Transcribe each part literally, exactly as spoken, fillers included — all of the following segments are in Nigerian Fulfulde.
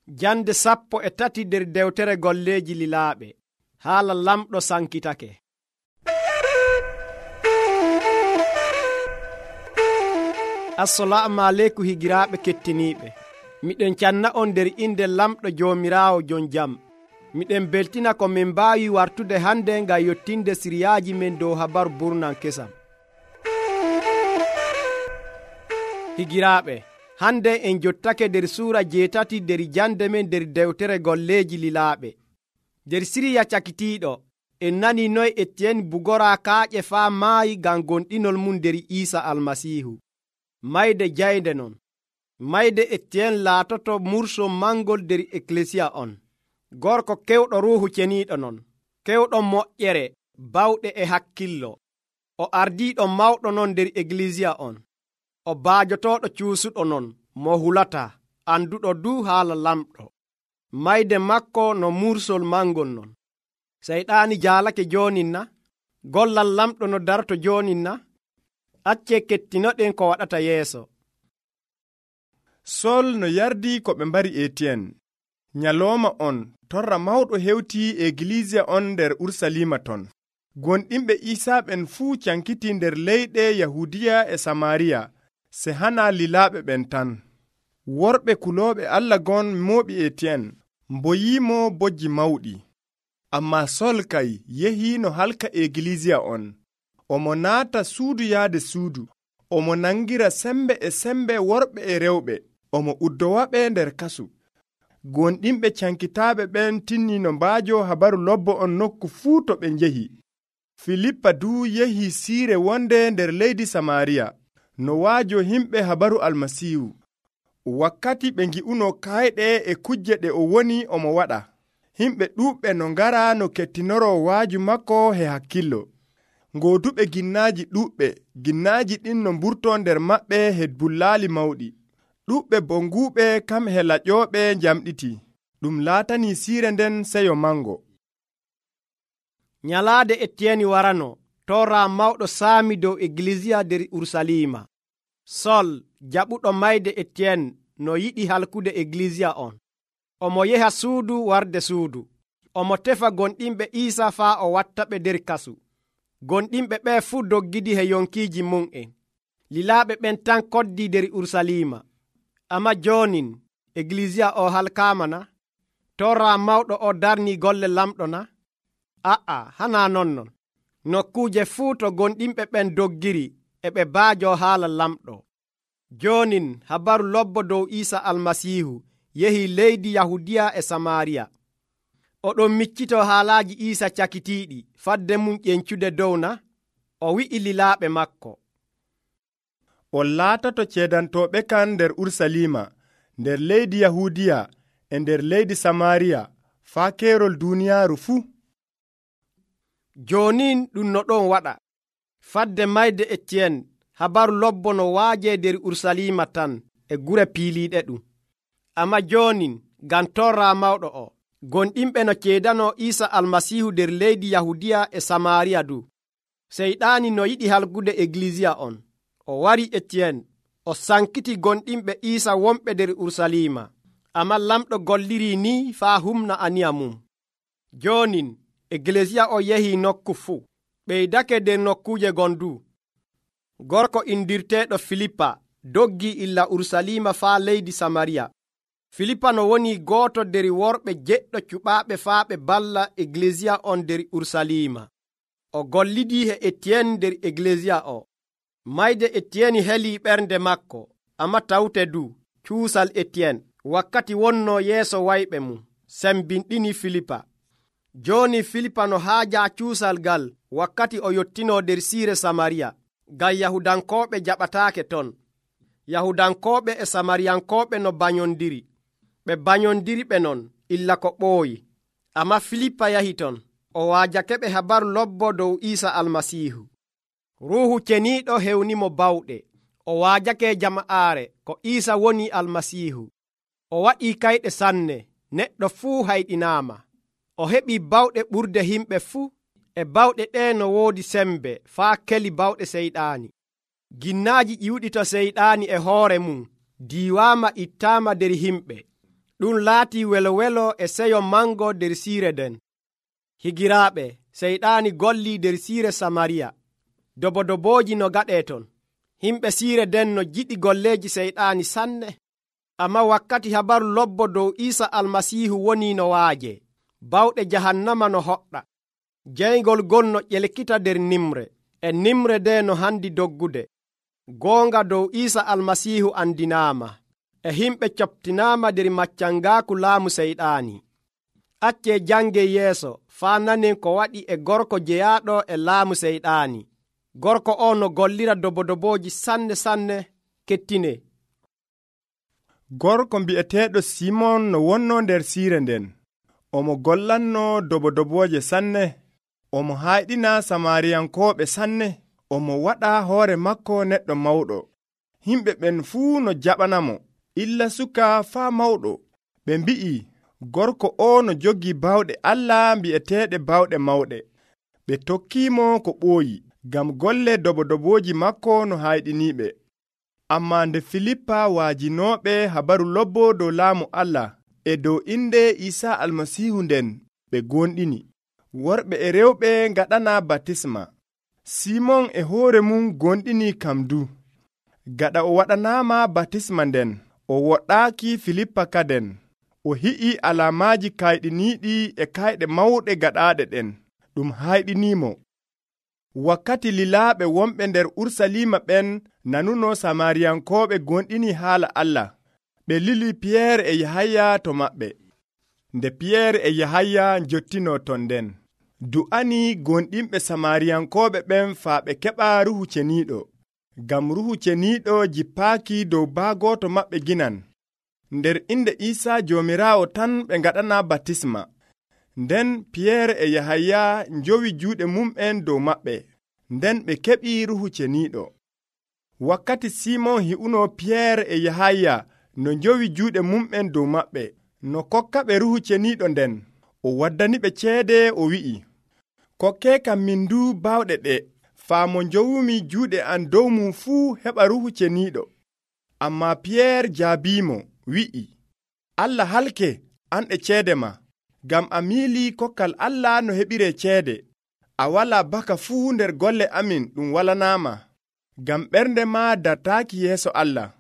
Jande sappo e tati nder dewtere golleeji lilaaɓe. Haala lamɗo sankitake. Assalamu aleykum higiraaɓe kettiniiɓe. Miɗen canna on nder inde lamɗo Joomiraawo jon jam. Miɗen beltina ko min mbaawi wartude hande ngam yottinde siriyaaji men dow habaru burnan kesam. Higiraaɓe, hande en jottake nder suura jeetati nder jande men nder dewtere golleeji lilaaɓe. Nder siriya cakitiiɗo en nani noy Etiyen bugora kaaƴe faa maayi ngam gonɗinol mum nder Iisa Almasiihu. Mayde jaynde non. Mayde Etiyen laatoto murso mangol nder eklesiya on. Gorko kewɗo ruuhu ceniiɗo non, kewɗo moƴƴere, bawɗe e hakkillo. O ardiiɗo mawɗo non nder eklesiya on. O baajotooɗo cuusuɗo non, mo hulataa, anduɗo du haala lamɗo. Mayde makko no mursol mangol non. Seyɗaani jaalake joonin na? Gollal lamɗo no darto joonin na? Accee kettinoɗen ko waɗata yeeso. Sol no yardi ko ɓe mbari Etiyen. Nyalooma on, torra mawɗo hewtii eglisiya on nder Ursalima ton. Gonɗinɓe Iisaa ɓen fuu cankiti nder leyɗe Yahudiya e Samariya, se hana lilaaɓe ɓen tan. Worɓe kulooɓe Allah gon mooɓi Etiyen, mboyiimo bojji mawɗi. Ammaa Sol kay yehii no halka eglisiya on. Omo naata suudu yaade suudu. Omo nangira sembe e sembe worɓe e rewɓe. Omo uddowaɓe nder kasu. Gonɗinɓe cankitaaɓe ɓen tinni no mbaajo habaru lobbo on nokku fuu to ɓe njehi. Filippa duu yehi siire wonde nder leydi Samariya, no waajo himɓe habaru Almasiihu. Wakkati ɓe ngi'uno kayɗe e kujje ɗe o woni omo waɗa. Himɓe ɗuuɓɓe no ngara no kettinoro waaju makko he hakkillo. Ngooduɓe ginnaaji ɗuuɓɓe, ginnaaji ɗin no mburto nder maɓɓe he bullaali mawɗi. Ɗuuɓɓe bonguuɓe kam he laƴooɓe njamɗiti. Ɗum laatani siire nden seyo mango. Nyalaade Etiyen warano, tora mawɗo saami dow eglisiya nder Ursalima. Sol, jaɓuɗo mayde Etiyen, no yiɗi halkude eglisiya on. Omo yeha suudu warde suudu. Omo tefa gonɗinɓe Iisa faa o wattaɓe nder kasu. Gonɗinɓe ɓe fuu doggidi he yonkiiji mum'en. Lilaaɓe ɓen tan koddi nder Ursalima. Amma joonin, eglisiya o halkaama na? Torra mawɗo o darni golle lamɗo na? A'a, hana nonnon. Nokkuuje fuu to gonɗinɓe ɓen doggiri e ɓe baajo haala lamɗo. Joonin habaru lobbo dow Iisa Almasiihu yehi leydi Yahudiya e Samariya. Oɗon miccito haalaaji Iisa cakitiiɗi fadde mum ƴencude dow na? O wi'i lilaaɓe makko. On laatoto ceedantooɓe kan nder Ursalima, nder leydi Yahudiya e nder leydi Samariya, faa keerol duuniyaaru fuu. Joonin ɗum no ɗon waɗa. Fadde mayde Etiyen, habaru lobbo no waaje nder Ursalima tan e gure piiliiɗe ɗum. Amma joonin, ngam torra mawɗo o, gonɗinɓe no ceedano Iisa Almasiihu nder leydi Yahudiya e Samariya du. Seyɗaani no yiɗi halgude eglisiya on. O wari Etiyen, o sankiti gonɗinɓe Iisa wonɓe nder Ursalima. Amma lamɗo golliri ni faa humna aniya mum. Joonin, eglesiya o yehi nokku fuu. Ɓeydake nder nokkuuje gondu. Gorko indirteeɗo Filippa doggi illa Ursalima faa leydi Samariya. Filippa no woni gooto nder worɓe jeɗɗo cuɓaaɓe faa ɓe balla eglesiya on nder Ursalima. O gollidii he Etiyen nder eglesiya o. Mayde Etiyen helii ɓernde makko, amma tawte du cuusal Etiyen wakkati wonno yeeso wayɓe mum sembinɗini Filippa. Jooni Filippa no haaja cuusal gal wakkati o yottino nder siire Samariya, ngam Yahudankooɓe jaɓataake ton. Yahudankooɓe e Samariyankooɓe no banyondiri. Ɓe banyondiri ɓe non illa ko ɓooyi. Amma Filippa yahi ton. O waajake ɓe habaru lobbo dow Iisa Almasiihu. Ruuhu ceniiɗo hewnimo bawɗe. O waajake jama'aare ko Iisa woni Almasiihu. O waɗii kayɗe sanne, neɗɗo fuu hayɗinaama. O heɓii bawɗe ɓurde himɓe fuu. E bawɗe ɗe no woodi sembe faa keli bawɗe seyɗaani. Ginnaaji ƴiwɗi to seyɗaani e hoore mum diiwaama ittaama nder himɓe. ɗum laati welo welo e seyo mango nder siire nden. Higiraaɓe, seyɗaani golli nder siire Samariya. Dobodobooji no gaɗee ton. Himɓe siire nden no jiɗi golleeji seyɗaani sanne. Amma wakkati habaru lobbo dow Iisa Almasiihu woni no waaje, bawɗe jahannama no hoɗɗa. Jeyngol gon no ƴelkita nder nimre, e nimre nde no handi doggude. Goonga dow Iisa Almasiihu andinaama, e himɓe coftinaama nder maccangaaku laamu seyɗaani. Accee jangee yeeso faa nanen ko waɗi e gorko jeyaaɗo e laamu seyɗaani. Gorko o no gollira dobodobooji sanne sanne. Kettine. Gorko mbi'eteeɗo Simon no wonno nder siire nden. Omo gollanno dobodobooje sanne. Omo hayɗina Samariyankooɓe sanne. Omo waɗa hoore makko neɗɗo mawɗo. Himɓe ɓen fuu no jaɓanamo, illa suka faa mawɗo. Ɓe mbi'i, gorko o no jogii bawɗe Allah mbi'eteeɗe bawɗe mawɗe. Ɓe tokkiimo ko ɓooyi, ngam golle dobodobooji makko no hayɗiniiɓe. Amma nde Filippa waajinooɓe habaru lobbo dow laamu Allah e dow inde Iisa Almasiihu nden, ɓe gonɗini. Worɓe e rewɓe ngaɗana batisma. Simon e hoore mum gonɗini kam du. Gaɗa o waɗanaama batisma nden, o woɗɗaaki Filippa kaden. O hi'i alaamaaji kayɗiniiɗi e kayɗe mawɗe gaɗaaɗe ɗen, ɗum hayɗiniimo. Wakkati lilaaɓe wonɓe nder Urusalima ɓen nanuno Samariyankooɓe gonɗini haala Allah, ɓe lili Piyeer e Yahaya to maɓɓe. Nde Piyeer e Yahaya jottino ton nden, du'ani gonɗinɓe Samariyankooɓe ɓen faa ɓe keɓa Ruhu Ceniiɗo, ngam Ruhu Ceniiɗo jippaaki dow baagooto maɓɓe ginan. Nder inde Iisa Joomiraawo tan ɓe ngaɗana batisma. Nden Piyeer e Yahaya njowi juuɗe mum'en dow maɓɓe, nden ɓe keɓi Ruhu Ceniiɗo. Wakkati Simon hi'uno Piyeer e Yahaya no njowi juuɗe mum'en dow maɓɓe, no kokkaɓe Ruhu Ceniiɗo nden, o waddaniɓe ceede o wi'i, kokkee kam min du bawɗe ɗe, faa mo njowumi juuɗe am dow mum fuu heɓa Ruhu Ceniiɗo. Amma Piyeer jaabiimo, wi'i, Allah halke an e ceede ma, ngam a miilii kokkal Allah no heɓiree ceede. A walaa baka fuu nder golle amin ɗum walanaama, ngam ɓernde ma dartaaki yeeso Allah.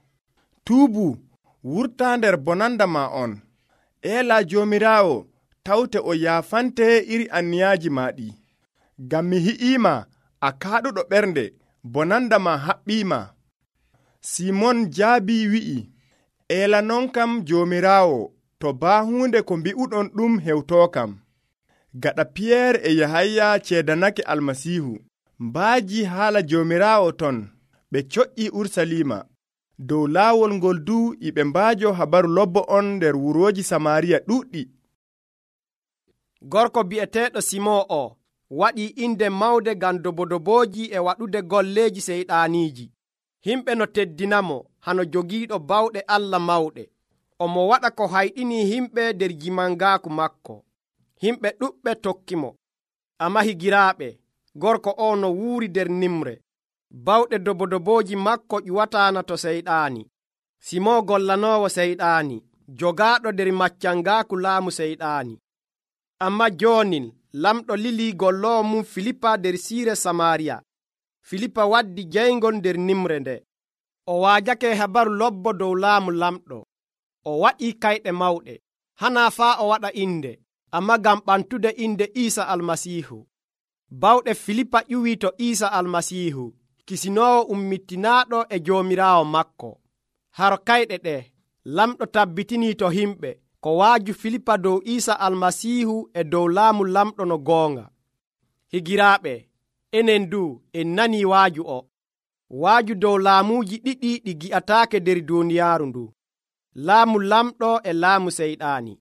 Tuubu, wurtaa nder bonanda ma on. Eela Joomiraawo tawte o yaafante iri anniyaaji ma ɗi. Ngam mi hi'iima a kaaɗuɗo ɓernde, bonanda ma haɓɓiima. Simon jaabi wi'i, eela non kam Joomiraawo, to baa huunde ko mbi'uɗon ɗum hewtookam. Gaɗa Piyeer e Yahaya ceedanake Almasiihu, mbaaji haala Joomiraawo ton, ɓe coƴƴi Urusalima. Dow laawol ngol du iɓe mbaajo habaru lobbo on nder wurooji Samariya ɗuuɗɗi. Gorko bi'eteeɗo Simon o waɗi inde mawde ngam dobodobooji e waɗude golleeji seyɗaaniiji. Himɓe no teddinamo hano jogiiɗo bawɗe Allah mawɗe. Omo waɗa ko hayɗini himɓe nder jimangaaku makko. Himɓe ɗuɓɓe tokkimo. Amma higiraaɓe, gorko o no wuuri nder nimre. Bawɗe dobodobooji makko ƴuwataana to seyɗaani. Simon gollanoowo seyɗaani, jogaaɗo nder maccangaaku laamu seyɗaani. Amma joonin lamɗo lili golloowo mum Filippa nder siire Samariya. Filippa waddi jeyngol nder nimre nde. O waajake habaru lobbo dow laamu lamɗo. O waɗi kayɗe mawɗe. Hanaa faa o waɗa inde, amma ngam ɓantude inde Iisa Almasiihu. Bawɗe Filippa ƴuwii to Iisa Almasiihu, kisinoowo ummitinaaɗo e Joomiraawo makko. Haro kayɗe ɗe, lamɗo tabbitinii to himɓe ko waaju Filippa dow Iisa Almasiihu e dow laamu lamɗo no goonga. Higiraaɓe, enen du en nanii waaju o. Waaju dow laamuuji ɗiɗi ɗi gi'ataake nder duuniyaaru ndu. Laamu lamɗo e laamu seyɗaani.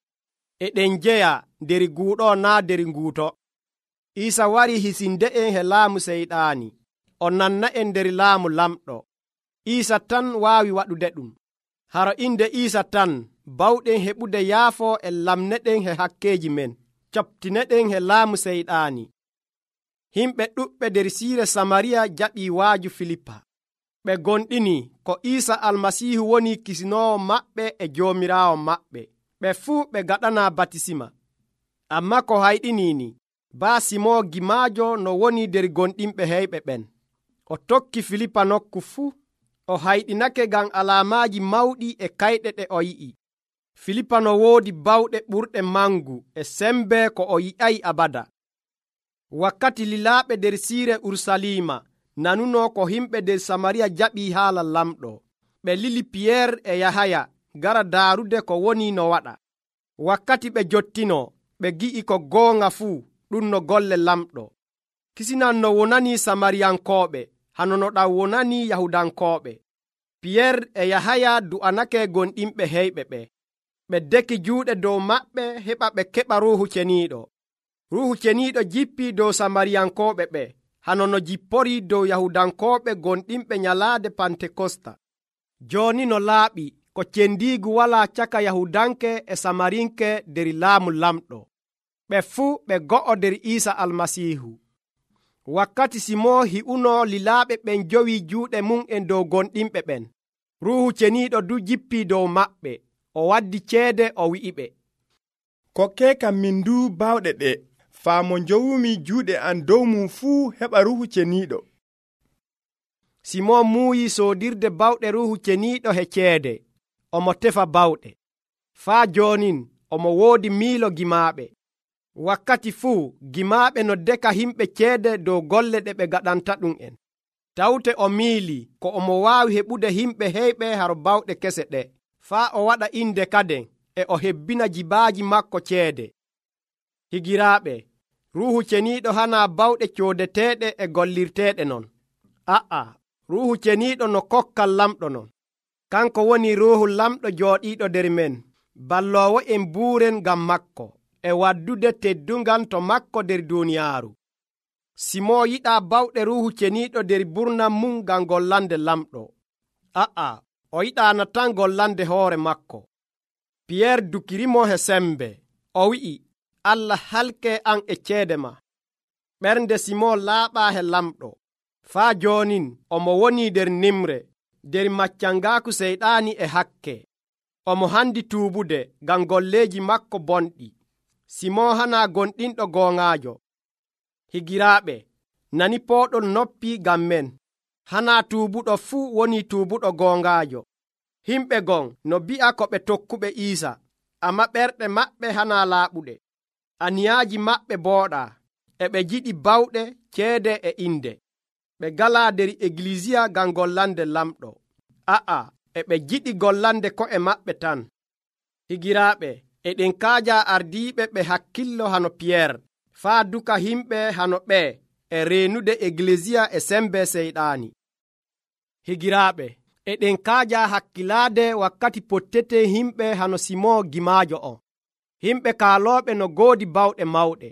Eɗen jeya nder guuɗo naa nder nguuto. Iisa wari hisinde'en he laamu seyɗaani. O nanna en nder laamu lamɗo. Iisa tan waawi waɗude ɗum. Haro inde Iisa tan bawɗen heɓude yaafo e lamneɗen he hakkeeji men. Coptineɗen he laamu seyɗaani. Himɓe ɗuɓɓe nder siire Samariya jaɓii waaju Filippa. Ɓe gonɗini ko Iisa Almasiihu woni kisinoowo maɓɓe e Joomiraawo maɓɓe. Ɓe ɓe fuu ɓe gaɗana batisima. Amma ko hayɗiniini baa Simo gimaajo no woni nder gonɗinɓe heyɓe ɓen. O tokki Filipa nokku fuu. O hayɗinake ngam alaamaaji mawɗi e kayɗe ɗe o yi'i. Filipa no woodi bawɗe ɓurɗe mangu e sembe ko o yi'ay abada. Wakkati lilaaɓe nder siire Urusalima nanuno ko himɓe nder Samariya jaɓii haala lamɗo, ɓe lili Piyeer e Yahaya gara daarude ko woni no waɗa. Wakkati ɓe jottino, ɓe gi'i ko goonga fuu ɗum no golle lamɗo. Kisinan no wonanii Samariyankooɓe, hano no ɗam wonanii Yahudankooɓe. Piyeer e Yahaya du'anake gonɗinɓe heyɓe ɓe. Ɓe deki juuɗe dow maɓɓe heɓa ɓe keɓa Ruuhu Ceniiɗo. Ruuhu Ceniiɗo jippii dow Samariyankooɓe ɓe, hano no jipporii dow Yahudankooɓe gonɗinɓe nyalaade Pantekosta. Jooni no laaɓi ko cendiigu walaa caka Yahudanke e Samarinke nder laamu lamɗo. Ɓe fuu ɓe go'o nder Iisa Almasiihu. Wakkati Simoo hi'uno lilaaɓe ɓen jowi juuɗe mum e dow gonɗinɓe ɓen. Ruuhu Ceniiɗo du jippii dow maɓɓe. O waddi ceede o wi'iɓe, kokke kam min du bawɗe ɗe, faa mo njowumi juuɗe an dow mum fuu heɓa Ruuhu Ceniiɗo. Simon muuyi soodirde bawɗe Ruuhu Ceniiɗo he ceede. Omo tefa bawɗe. Faa joonin omo woodi miilo gimaaɓe. Wakkati fuu gimaaɓe no deka himɓe ceede dow golle ɗe ɓe gaɗanta ɗum en. Tawte o miili ko omo waawi heɓude himɓe heyɓe haro bawɗe kese ɗe. Faa o waɗa inde kaden e o hebbina jibaaji makko ceede. Higiraaɓe, Ruuhu Ceniiɗo hanaa bawɗe coodeteeɗe e gollirteeɗe non. A'a, Ruuhu Ceniiɗo no kokkal lamɗo non. Kanko woni Ruuhu lamɗo jooɗiiɗo nder men, balloowo en buuren ngam makko, e waddude teddungal to makko nder duuniyaaru. Simo yiɗaa bawɗe Ruuhu Ceniiɗo nder burnam mum ngam gollande lamɗo. A'a, o yiɗaana tan gollande hoore makko. Piyeer dukirimo he sembe. O wi'i, Allah halke an e ceede ma. Ɓernde Simon laaɓaa he lamɗo. Faa joonin omo woni nder nimre, nder maccangaaku seyɗaani e hakke. Omo handi tuubude ngam golleeji makko bonɗi. Simon hanaa gonɗinɗo gooŋaajo. Higiraaɓe, nani pooɗon noppi ngam men. Hanaa tuubuɗo fuu woni tuubuɗo gooŋaajo. Himɓe gon no bi'a ko ɓe tokkuɓe Iisa, amma ɓerɗe maɓɓe hanaa laaɓuɗe. Aniyaaji maɓɓe booɗaa, e ɓe jiɗi bawɗe, ceede e inde. Ɓe galaa nder egiliisiya ngam gollande lamɗo. A'a, e ɓe jiɗi gollande ko'e maɓɓe tan. Higiraaɓe, eɗen kaaja ardiiɓe ɓe hakkillo hano Piyeer, faa duka himɓe hano ɓee e reenude egiliisiya e sembe seyɗaani. Higiraaɓe, eɗen kaaja hakkilaade wakkati pottete himɓe hano Simon gimaajo on. Himɓe kaalooɓe no goodi bawɗe mawɗe,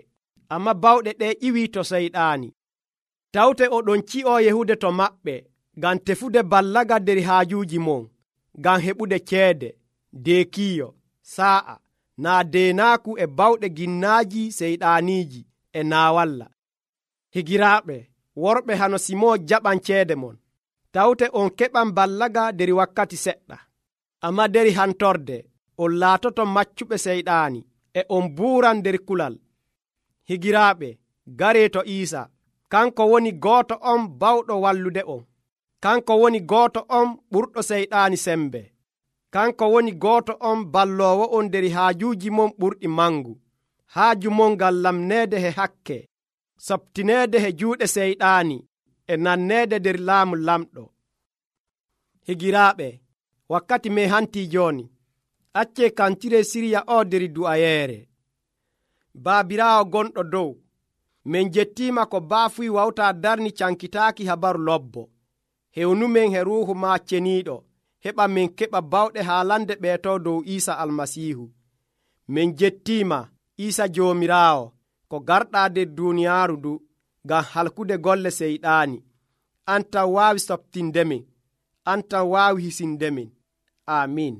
amma bawɗe ɗe iwii to seyɗaani. Tawte oɗon ci'oo yehude to maɓɓe ngam tefude ballaga nder haajuuji mon, ngam heɓude ceede, deekiiyo, saa'a, naa deenaaku e bawɗe ginnaaji seyɗaaniiji e naawalla. Higiraaɓe, worɓe hano Simon jaɓan ceede mon. Tawte on keɓan ballaga nder wakkati seɗɗa, amma nder hantorde on laatoto maccuɓe seyɗaani e on buuran nder kulal. Higiraaɓe, garee to Iisa. Kanko woni gooto on bawɗo wallude on. Kanko woni gooto on ɓurɗo seyɗaani sembe. Kanko woni gooto on balloowo on nder haajuuji mon ɓurɗi mangu. Haaju mon ngam lamneede he hakke, sabtineede he juuɗe seyɗaani e nanneede nder laamu lamɗo. Higiraaɓe, wakkati me hantii jooni. Accee kantire siriya o nder du'ayeere. Baabiraawo gonɗo dow, min jettiima ko baafuy wawtaa darni cankitaaki habaru lobbo. Hewnumen he Ruuhu ma Ceniiɗo, heɓa min keɓa bawɗe haalande ɓeeto dow Iisa Almasiihu. Min jettiima Iisa Joomiraawo, ko garɗaa nder duuniyaaru du, ngam halkude golle seyɗaani. An tan waawi sabtindemin, an tan waawi hisindemin. Amiin.